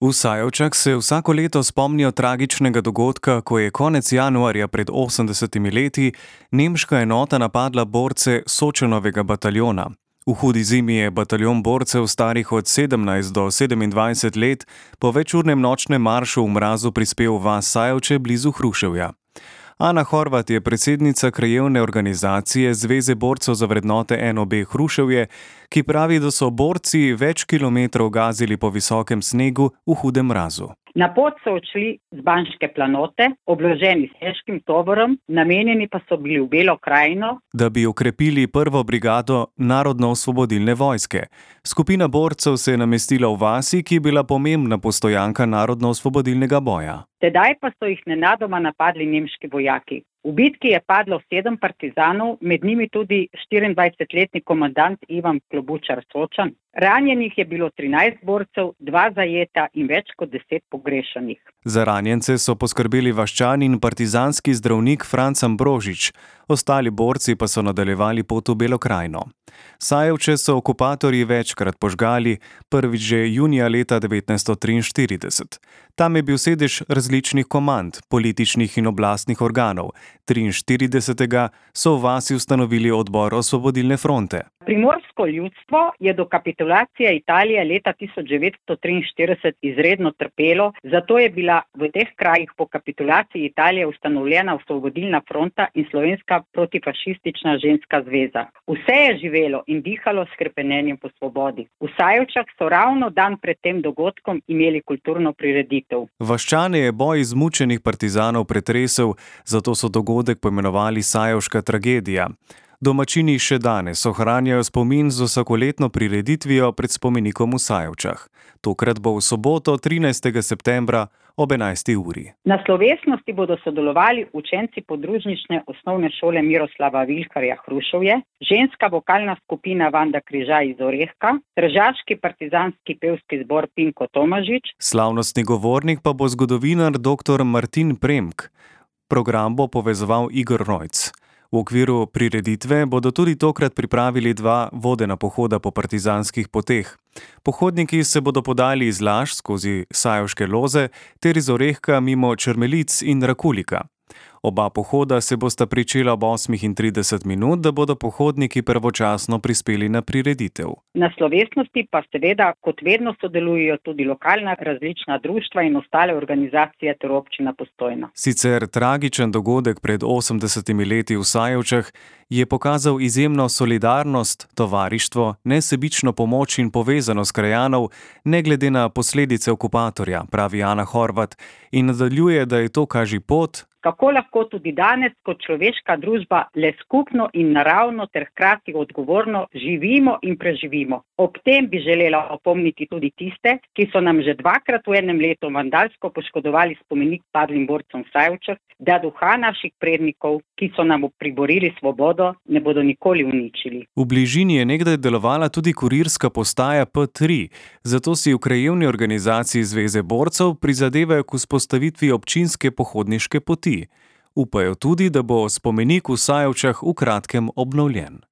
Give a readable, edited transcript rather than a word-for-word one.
V Sajovčah se vsako leto spomnijo tragičnega dogodka, ko je konec januarja pred 80 leti nemška enota napadla borce Sočanovega bataljona. V hudi zimi je bataljon borcev starih od 17 do 27 let po večurnem nočnem maršu v mrazu prispel v vas Sajovče blizu Hruševja. Ana Horvat je predsednica krajevne organizacije Zveze borcev za vrednote NOB Hruševje, ki pravi, da so borci več kilometrov gazili po visokem snegu v hudem mrazu. Na pot so odšli z Banške planote, obloženi s težkim tovorom, namenjeni pa so bili v Belo krajino, da bi okrepili prvo brigado Narodno-osvobodilne vojske. Skupina borcev se je namestila v vasi, ki je bila pomembna postojanka Narodno-osvobodilnega boja. Tedaj pa so jih nenadoma napadli nemški vojaki. V bitki je padlo 7 partizanov, med njimi tudi 24-letni komandant Ivan Klobučar Sočan. Ranjenih je bilo 13 borcev, 2 zajeta in več kot 10 pogrešanih. Za ranjence so poskrbeli vaščan in partizanski zdravnik Franc Ambrožič, ostali borci pa so nadaljevali pot v Belo krajino. Sajovče so okupatorji večkrat požgali, prvič že junija leta 1943. Tam je bil sedež različnih komand, političnih in oblastnih organov. 43. so v vasi ustanovili odbor Osvobodilne fronte. Primorsko ljudstvo je do kapitulacije Italije leta 1943 izredno trpelo, zato je bila v teh krajih po kapitulaciji Italije ustanovljena Osvobodilna fronta in Slovenska protifašistična ženska zveza. Vse je živelo in dihalo s hrepenenjem po svobodi. V Sajovčah so ravno dan pred tem dogodkom imeli kulturno prireditev. Vaščane je boj izmučenih partizanov pretresel, zato so dogodek poimenovali Sajovška tragedija. Domačini še danes ohranjajo spomin z vsakoletno prireditvijo pred spomenikom v Sajovčah. Tokrat bo v soboto 13. septembra ob 11. uri. Na slovesnosti bodo sodelovali učenci podružnične osnovne šole Miroslava Vilharja Hruševje, ženska vokalna skupina Vanda Križaj iz Orehka, tržaški partizanski pevski zbor Pinko Tomažič. Slavnostni govornik pa bo zgodovinar dr. Martin Premk. Program bo povezoval Igor Rojc. V okviru prireditve bodo tudi tokrat pripravili 2 vodena pohoda po partizanskih poteh. Pohodniki se bodo podali iz Laž skozi Sajovške loze ter iz Orehka mimo Črmelic in Rakulika. Oba pohoda se bosta pričela ob 8:30, da bodo pohodniki pravočasno prispeli na prireditev. Na slovesnosti pa seveda kot vedno sodelujejo tudi lokalna različna društva in ostale organizacije ter občina Postojna. Sicer tragičen dogodek pred 80 leti v Sajovčah je pokazal izjemno solidarnost, tovarištvo, nesebično pomoč in povezanost krajanov, ne glede na posledice okupatorja, pravi Ana Horvat in nadaljuje, da je to kaži pot, kako lahko tudi danes kot človeška družba le skupno in naravno ter hkrati odgovorno živimo in preživimo. Ob tem bi želela opomniti tudi tiste, ki so nam že 2-krat v enem letu vandalsko poškodovali spomenik padlim borcem v Sajovčah, da duha naših prednikov, ki so nam priborili svobodo, ne bodo nikoli uničili. V bližini je nekdaj delovala tudi kurirska postaja P3, zato si v krajevni organizaciji Zveze borcev prizadevajo k vzpostavitvi občinske pohodniške poti. Upajo tudi, da bo spomenik v Sajovčah v kratkem obnovljen.